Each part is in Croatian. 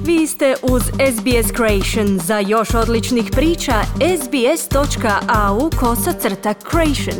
Vi ste uz SBS Creation. Za još odličnih priča, sbs.au/creation.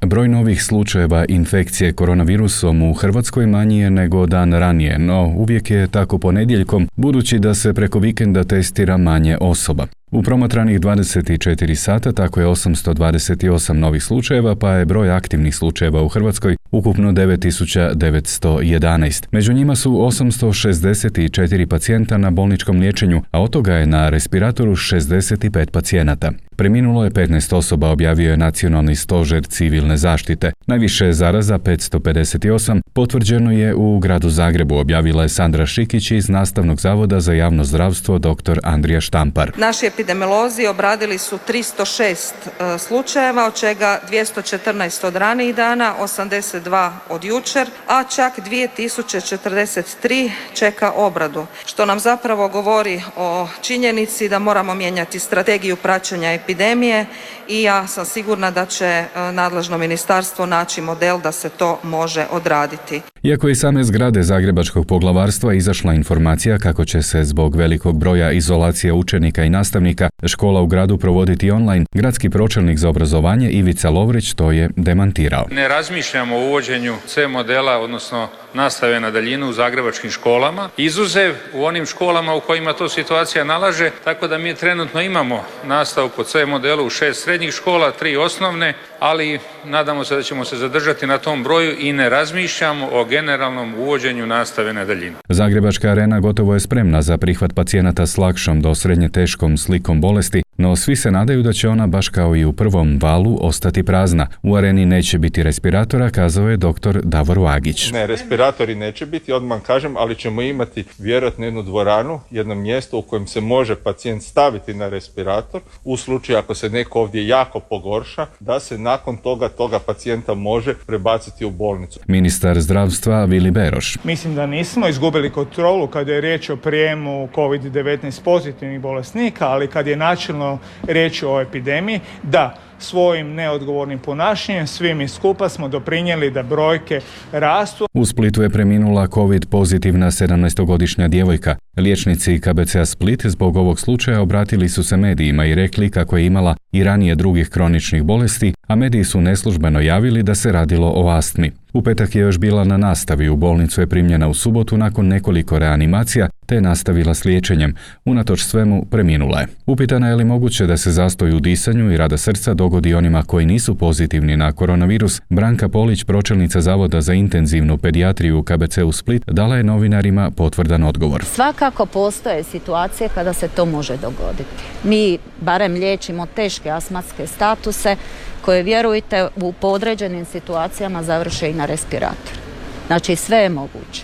Broj novih slučajeva infekcije koronavirusom u Hrvatskoj manji je nego dan ranije, no uvijek je tako ponedjeljkom, budući da se preko vikenda testira manje osoba. U promatranih 24 sata tako je 828 novih slučajeva, pa je broj aktivnih slučajeva u Hrvatskoj ukupno 9911. Među njima su 864 pacijenta na bolničkom liječenju, a od toga je na respiratoru 65 pacijenata. Preminulo je 15 osoba, objavio je Nacionalni stožer civilne zaštite. Najviše zaraza, 558, potvrđeno je u gradu Zagrebu, objavila je Sandra Šikić iz Nastavnog zavoda za javno zdravstvo dr. Andrija Štampar. Naši epidemiolozi obradili su 306 slučajeva, od čega 214 od ranijih dana, 82 od jučer, a čak 2043 čeka obradu, što nam zapravo govori o činjenici da moramo mijenjati strategiju praćenja epidemije i ja sam sigurna da će nadležno ministarstvo naći model da se to može odraditi. Iako je iz same zgrade Zagrebačkog poglavarstva izašla informacija kako će se zbog velikog broja izolacije učenika i nastavnika škola u gradu provoditi online, gradski pročelnik za obrazovanje Ivica Lovrić to je demantirao. Ne razmišljamo o uvođenju C modela, odnosno nastave na daljinu u zagrebačkim školama, izuzev u onim školama u kojima to situacija nalaže, tako da mi trenutno imamo nastavu po C modelu u 6 srednjih škola, 3 osnovne, ali nadamo se da ćemo se zadržati na tom broju i ne razmišljamo o generalnom uvođenju nastave na daljinu. Zagrebačka arena gotovo je spremna za prihvat pacijenata s lakšom do srednje teškom slikom bolesti, no svi se nadaju da će ona, baš kao i u prvom valu, ostati prazna. U areni neće biti respiratora, kazao je dr. Davor Vagić. Ne, respiratori neće biti, odmah kažem, ali ćemo imati vjerojatno jednu dvoranu, jedno mjesto u kojem se može pacijent staviti na respirator, u slučaju ako se neko ovdje jako pogorša, da se nakon toga pacijenta može prebaciti u bolnicu. Ministar zdravstva Vili Beroš. Mislim da nismo izgubili kontrolu kada je riječ o prijemu COVID-19 pozitivnih bolesnika, ali kad je načelno riječ o epidemiji, da svojim neodgovornim ponašanjem svi mi skupa smo doprinijeli da brojke rastu. U Splitu je preminula COVID pozitivna 17-godišnja djevojka. Liječnici KBC-a Split zbog ovog slučaja obratili su se medijima i rekli kako je imala i ranije drugih kroničnih bolesti, a mediji su neslužbeno javili da se radilo o astmi. U petak je još bila na nastavi, u bolnicu je primljena u subotu nakon nekoliko reanimacija, te je nastavila s liječenjem. Unatoč svemu preminula je. Upitana je li moguće da se zastoj u disanju i rada srca dogodi onima koji nisu pozitivni na koronavirus, Branka Polić, pročelnica Zavoda za intenzivnu pedijatriju u KBC-u Split, dala je novinarima potvrdan odgovor. Svakako postoje situacije kada se to može dogoditi. Mi barem liječimo teške astmatske statuse koje, vjerujte, u podređenim situacijama završe i na respiratoru. Znači sve je moguće.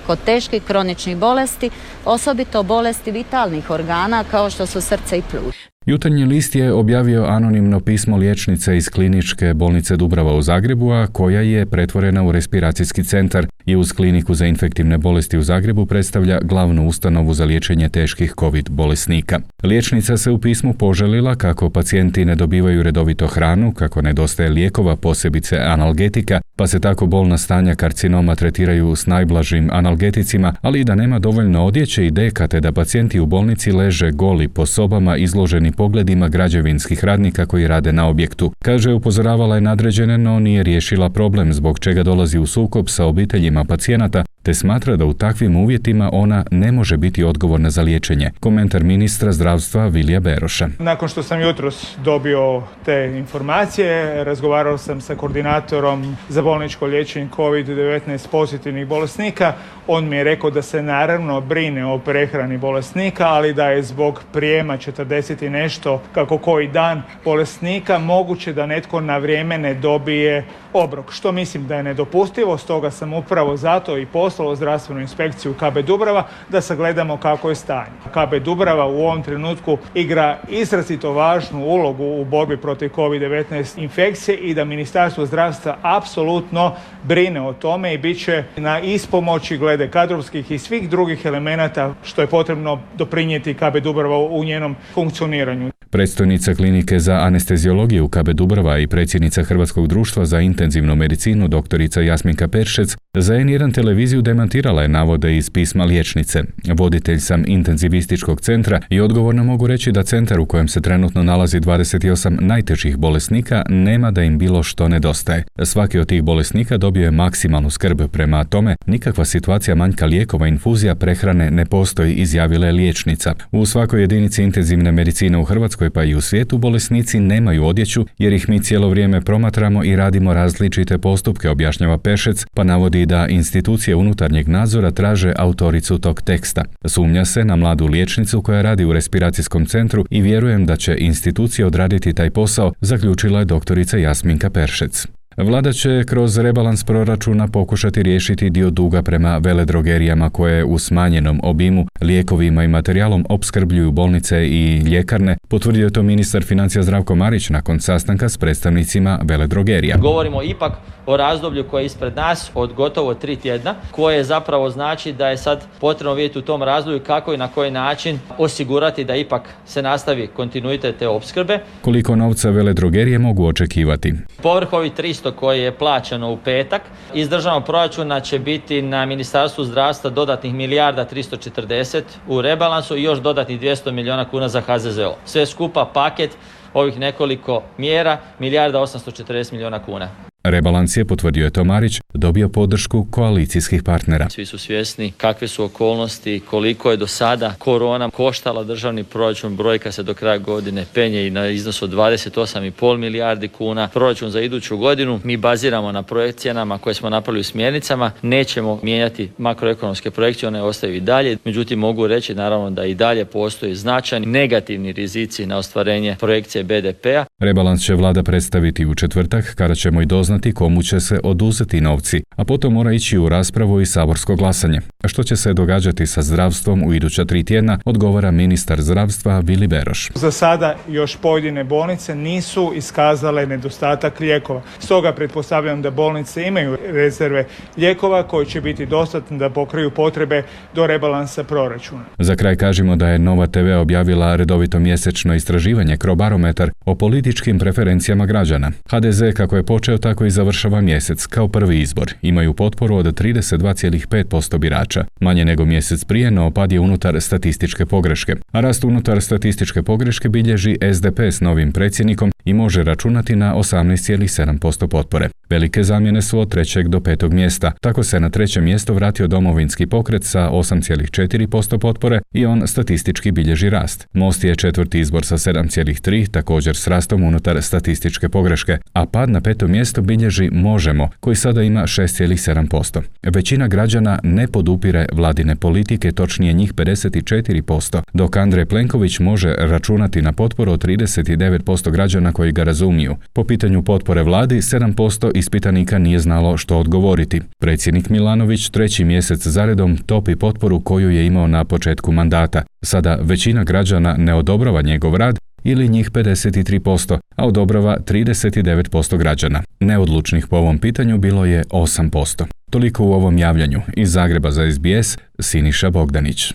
Kod teških kroničnih bolesti, osobito bolesti vitalnih organa kao što su srce i pluća. Jutarnji list je objavio anonimno pismo liječnice iz Kliničke bolnice Dubrava u Zagrebu, a koja je pretvorena u respiracijski centar i uz Kliniku za infektivne bolesti u Zagrebu predstavlja glavnu ustanovu za liječenje teških COVID bolesnika. Liječnica se u pismu požalila kako pacijenti ne dobivaju redovito hranu, kako nedostaje lijekova, posebice analgetika, pa se tako bolna stanja karcinoma tretiraju s najblažim analgeticima, ali i da nema dovoljno odjeće i deka, te da pacijenti u bolnici leže goli po sobama izloženi pogledima građevinskih radnika koji rade na objektu. Kaže, upozoravala je nadređene, no nije riješila problem, zbog čega dolazi u sukob sa obiteljima pacijenata, te smatra da u takvim uvjetima ona ne može biti odgovorna za liječenje. Komentar ministra zdravstva Vilija Beroša. Nakon što sam jutros dobio te informacije, razgovarao sam sa koordinatorom za bolničko liječenje COVID-19 pozitivnih bolesnika. On mi je rekao da se naravno brine o prehrani bolesnika, ali da je zbog prijema 40 i nešto kako koji dan bolesnika moguće da netko na vrijeme ne dobije obrok, što mislim da je nedopustivo. Stoga sam upravo zato i poslao zdravstvenu inspekciju KB Dubrava da sagledamo kako je stanje. KB Dubrava u ovom trenutku igra izrazito važnu ulogu u borbi protiv COVID-19 infekcije i da Ministarstvo zdravstva apsolutno brine o tome i bit će na ispomoći glede kadrovskih i svih drugih elemenata što je potrebno doprinijeti KB Dubrava u njenom funkcioniranju. Predstojnica klinike za anesteziologiju KB Dubrava i predsjednica Hrvatskog društva za intenzivnu medicinu doktorica Jasminka Peršec za N1 televiziju demantirala je navode iz pisma liječnice. Voditelj sam intenzivističkog centra i odgovorno mogu reći da centar u kojem se trenutno nalazi 28 najtežih bolesnika nema da im bilo što nedostaje. Svaki od tih bolesnika dobio je maksimalnu skrb, prema tome nikakva situacija manjka lijekova, infuzija, prehrane ne postoji, izjavila je liječnica. U svakoj jedinici intenzivne medicine u Hrvatskoj pa i u svijetu bolesnici nemaju odjeću jer ih mi cijelo vrijeme promatramo i radimo različite postupke, objašnjava Peršec, pa navodi da institucije unutarnjeg nadzora traže autoricu tog teksta. Sumnja se na mladu liječnicu koja radi u respiracijskom centru i vjerujem da će institucije odraditi taj posao, zaključila je doktorica Jasminka Peršec. Vlada će kroz rebalans proračuna pokušati riješiti dio duga prema veledrogerijama koje u smanjenom obimu lijekovima i materijalom opskrbljuju bolnice i ljekarne, potvrdio je to ministar financija Zdravko Marić nakon sastanka s predstavnicima veledrogerija. Govorimo ipak o razdoblju koje je ispred nas od gotovo 3 tjedna, koje zapravo znači da je sad potrebno vidjeti u tom razdoblju kako i na koji način osigurati da ipak se nastavi kontinuitet te opskrbe. Koliko novca veledrogerije mogu očekivati? Povrh ovih 300 koje je plaćeno u petak, iz državnog proračuna će biti na Ministarstvu zdravstva dodatnih 1.340 u rebalansu i još dodatnih 200 milijuna kuna za HZZO. Sve skupa paket ovih nekoliko mjera 1.840 milijuna kuna. Rebalans je, potvrdio je to Marić, dobio podršku koalicijskih partnera. Svi su svjesni kakve su okolnosti, koliko je do sada korona koštala državni proračun, brojka se do kraja godine penje i na iznos od 28,5 milijardi kuna. Proračun za iduću godinu mi baziramo na projekcijama koje smo napravili u smjernicama, nećemo mijenjati makroekonomske projekcije, one ostaju i dalje. Međutim, mogu reći naravno da i dalje postoji značajni negativni rizici na ostvarenje projekcije BDP-a. Rebalans će vlada predstaviti u četvrtak kada ćemo i doznati komu će se oduzeti novci, a potom mora ići u raspravu i saborsko glasanje. Što će se događati sa zdravstvom u iduća 3 tjedna, odgovara ministar zdravstva Vili Beroš. Za sada još pojedine bolnice nisu iskazale nedostatak lijekova. Stoga pretpostavljam da bolnice imaju rezerve lijekova koji će biti dostatni da pokriju potrebe do rebalansa proračuna. Za kraj kažemo da je Nova TV objavila redovito mjesečno istraživanje Crobarometar o političkim preferencijama građana. HDZ kako je počeo tako i završava mjesec kao prvi izbor. Imaju potporu od 32,5% birača. Manje nego mjesec prije, no pad je unutar statističke pogreške. A rast unutar statističke pogreške bilježi SDP s novim predsjednikom i može računati na 18,7% potpore. Velike zamjene su od 3. do 5. mjesta. Tako se na 3. mjesto vratio Domovinski pokret sa 8,4% potpore i on statistički bilježi rast. Most je 4. izbor sa 7,3, također s rastom unutar statističke pogreške, a pad na 5. mjesto bilježi Možemo, koji sada ima 6,7%. Većina građana ne podupire vladine politike, točnije njih 54%, dok Andrej Plenković može računati na potporu od 39% građana koji ga razumiju. Po pitanju potpore vladi, 7% ispitanika nije znalo što odgovoriti. Predsjednik Milanović 3. mjesec zaredom topi potporu koju je imao na početku mandata. Sada većina građana ne odobrava njegov rad ili njih 53%, a odobrava 39% građana. Neodlučnih po ovom pitanju bilo je 8%. Toliko u ovom javljanju. Iz Zagreba za SBS, Siniša Bogdanić.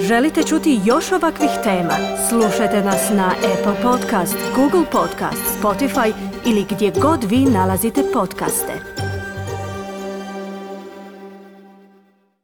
Želite čuti još ovakvih tema? Slušajte nas na Apple Podcast, Google Podcast, Spotify ili gdje god vi nalazite podcaste.